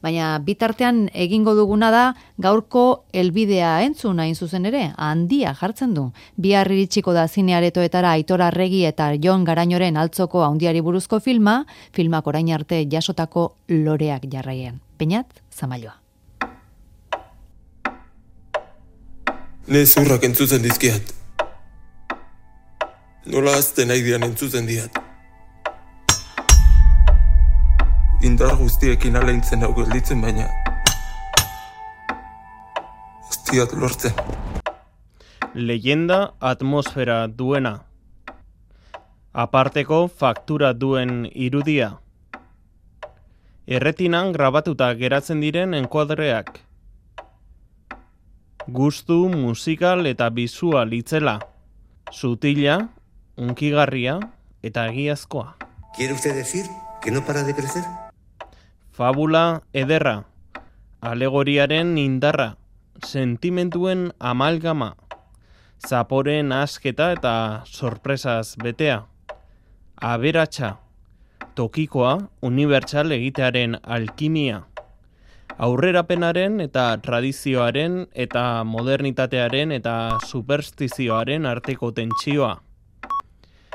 Baina bitartean egingo duguna da gaurko helbidea entzun hain zuzen ere, handia jartzen du. Bihar iritsiko da zinearetoetara Aitor Arregi eta Jon Garañoren Altzoko handiari buruzko filmak orain arte jasotako loreak jarraian. Peñat, Zamaioa. Ne zurrak entzutzen dizkiat. Nola azten nahi dian entzutzen diat. Indar guztiekin aleintzen hau gelditzen, baina ez diat lortzen. Leyenda atmosfera duena. Aparteko faktura duen irudia. Erretinan grabatuta geratzen diren enkuadreak. Gustu, musikal eta bisual itzela. Sutila, unkigarria eta egiazkoa. ¿Quiere usted decir que no para de crecer? Fabula ederra, alegoriaren indarra, sentimentuen amalgama, zaporen asketa eta sorpresaz betea, aberatsa, tokikoa, unibertsal egitearen alkimia, aurrerapenaren eta tradizioaren eta modernitatearen eta superstizioaren arteko tentsioa,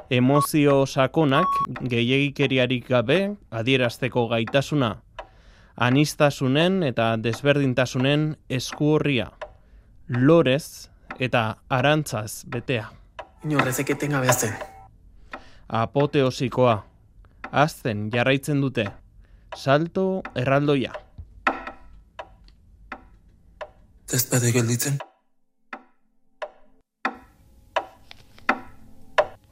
emozio sakonak gehiegikeriarik gabe adierazteko gaitasuna, aniztasunen eta desberdintasunen eskuorria, lorez eta arantzaz betea. Inorrezek etengabe azten. Apoteosikoa, azten jarraitzen dute, salto erraldoia. Ez bade gelditzen.